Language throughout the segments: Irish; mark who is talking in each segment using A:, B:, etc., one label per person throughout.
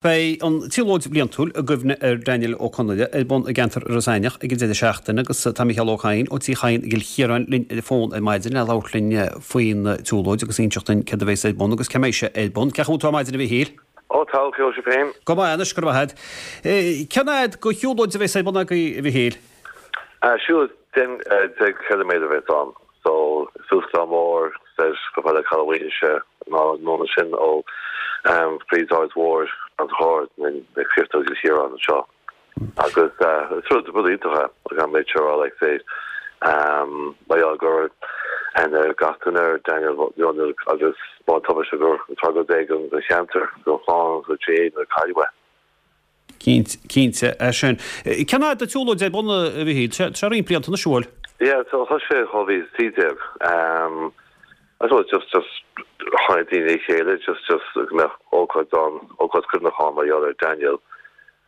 A: Beidh an tsiúlóid bhliantúil i gcuimhne ar Daniel Ó Conaire ar bun i gceantar Iorras Aithneach ag an deireadh seachtaine agus tá Micheál Ó Cadhain ó Tí Chadhain i gCill Chiaráin linn ar an bhfón ar maidin le labhairt linn faoin tsiúlóid agus inseacht dúinn céard a bheas ar bun agus cá mbeidh sé ar bun. Cén chaoi a bhfuil tú ar maidin a Mhichíl?
B: Ó tá, cén chaoi a bhfuil sibh féin?
A: Go maith anois, go raibh maith agat. Cén fhad de shiúlóid a bheas ar bun agaibh a Mhichíl?
B: Siúlóid 10 ciliméadar a bheas ann. So, suas Gleann Mór, soir chomh fada le Caladh Mhaoilise, nó ansin ó fríd Aird Mhór, an Chorr, ag críochnú i gCill Chiaráin anseo. Agus is rud, rud iontach é, gan mé a rá, like say, mar gheall go raibh aithne ag gach duine ar Daniel you agus má tubaiste gur tragóid é don cheantar, don chlann, do Jane, nuair a cailleadh é.
A: Cinnte, é sin. Cén fhad an tsiúlóid ar bun, a Mhichíl? Tá sé roinnt blianta anois, an bhfuil?
B: Yeah, so thosaigh sé in 2013. I suppose just, just tháinig daoine le chéile, just, just go mbeadh ócáid ann, ócáid cuimhneacháin mar gheall ar Daniel,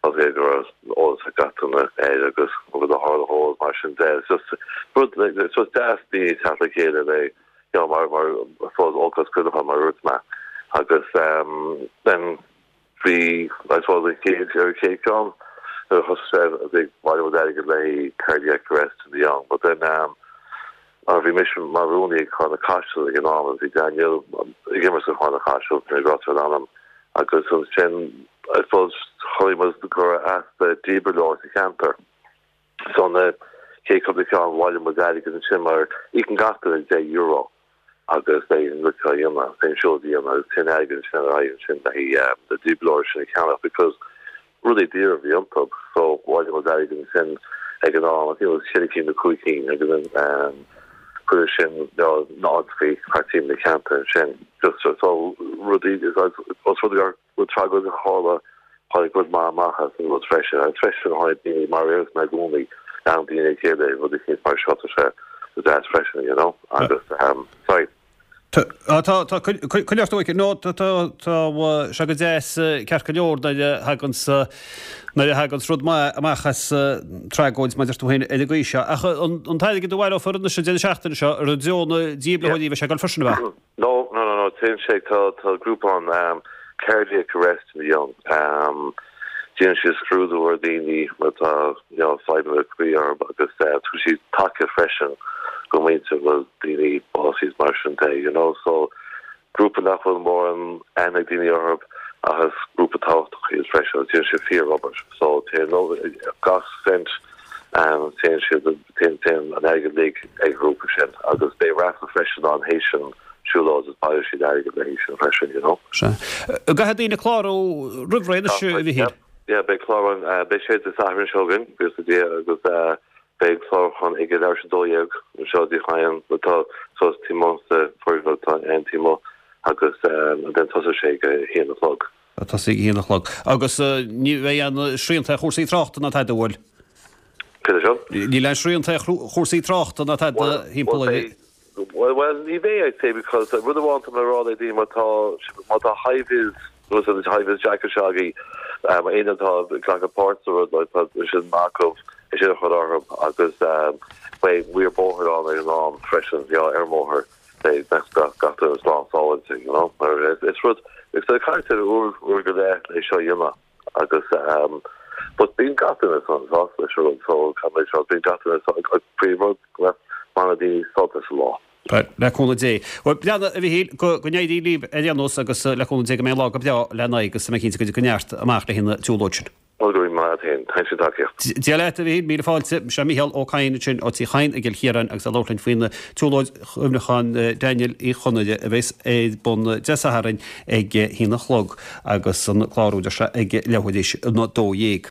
B: agus go raibh eolas ag gach duine air agus an rud a tharla dhó agus mar sin de. It's just rud, it's just deas daoine teacht le chéile le, you know, mar, mar, I suppose ócáid cuimhneacháin mar a dúirt mé. Agus then Bhí, I suppose, an chéad, ar an chéad cheann nuair a thosaigh sé ag bailiú an airgid le haghaidh cardiac arrest in the young. But then mar bhí mise mar rúnaí ag Carna Caiseal ag an am agus bhí Daniel ag imirt do Charna Caiseal nuair a bhí ar an am agus ansin I suppose chonaic muid go raibh easpa dífhibrileoir sa cheantar. So na chéad cúpla ceann bhailigh muid airgead ansin mar íocann gach duine €10. agus beidh an rud seo a dhéanamh, beidh an siúlóid a dhéanamh agus téann airgead ansin ar aghaidh ansin le haghaidh na dífhibrileoirí sin a cheannach because rudaí daor a bhí iontu so bhailigh muid airgead ansin ag an am, I think it was ceithre cinn nó cúig cinn agus then cuireadh sin you know na áiteachaí thart timpeall na ceantar ansin just so rudaí os rud gur Rud tragóideach a tharla, tháinig rud maith amach as an rud freisin, agus freisin tháinig daoine, mar a déarfas mé i gcónaí, leanann daoine a chéile i rud eicínt mar seo, tá sé go deas freisin, you know, agus ehm, sorry.
A: Tá, tá, tá, cuir ort uaic, no, tá, tá, tá sé go deas ceart go leor nuair a thaganns, nuair a thaganns rud maith amach as tragóid mar a deir tú féin ar an gcaoi seo. Ach an, an t-airgead a bhaileofar anois an deireadh seachtaine seo, ar i dtreo na dífhibrileoirí a bheidh sé ag dul freisin, ab ea?
B: No, no, no, no, téann sé, tá, tá grúpa ann, um, Cardiac Arrest in the Young, um, déanann siad scrúdú ar dhaoine má tá, you know, fadhbanna croí orthu agus eh, tugann siad tacaíocht freisin go muintir a bhfuil daoine básaithe mar sin de, you know, so grúpa nach bhfuil mórán aithne ag daoine orthu ach is grúpa tábhachtach iad freisin agus déanann siad fíor-obair, so téann gach cent Téann siad, téann, téann an airgead uilig ag an ghrúpa sin agus beidh raffle freisin ann théis an siúlóid agus baileoidh siad airgead le haghaidh sin freisin, you know.
A: Sea. An gcaithfidh daoine clárú roimh ré anois, a Mhichíl?
B: Yeah, yeah, beidh clárú ann, beidh sé Dé Sathairn seo chugainn, buíochas le Dia, agus beidh clárúchán ag leathuair tar éis 12 anseo i dTigh Chadhain, atá suas taobh amuigh sa foirgneamh atá ann taobh amuigh agus then tosóidh sé ag a haon a chlog.
A: Tosaí ag a haon a chlog. Agus ní bheidh aon srianta ar chúrsaí tráchta ná tada, an bhfuil?
B: Cad é seo?
A: Níl aon srianta ar chúrsaí tráchta ná tada thimpeall
B: ar. Bhuel, bhuel, ní bheidh, I'd say, because rud amháin tá mé a rá le daoine má tá, má tá high-vis, nó tá high-vis jacket seo agaibh, aon duine atá ag glacadh páirt sa rud, like, tá sin maith acu, é sin a chur orthu agus beidh maor bóthair ann ag an am freisin, you know, ar an mbóthar. Beidh gach duine slán sábháilte, you know, mar is rud, is caithfidh uair, uair go leith é seo a dhéanamh agus um, but bíonn gach duine sásta leis an rud, so caithfidh mé seo, bíonn gach duine sásta, príomhrud go mbeadh mbainfidh daoine sult as an lá.
A: Le cúnamh Dé. Bhuel, leana, a Mhichíl, go n-éirí libh ar aon nós agus le cúnamh Dé go mbeidh an lá go breá le n-aghaidh agus tá mé cinnte go dtiocfaidh neart amach le haghaidh an tsiúlóid sin.
B: Bhuel, go raibh maith agat féin. Thanks as an tacaíocht.
A: Dia leat, a Mhichíl, míle fáilte. Sé Mícheál Ó Cadhain ansin ó Tigh Chadhain i gCill Chiaráin agus é ag labhairt linn faoin tsiúlóid chuimhneacháin Daniel Uí Chonaire a bheas ar bun Dé Sathairn ag a haon a chlog agus an clárú deir sé ag leathuair théis a 12.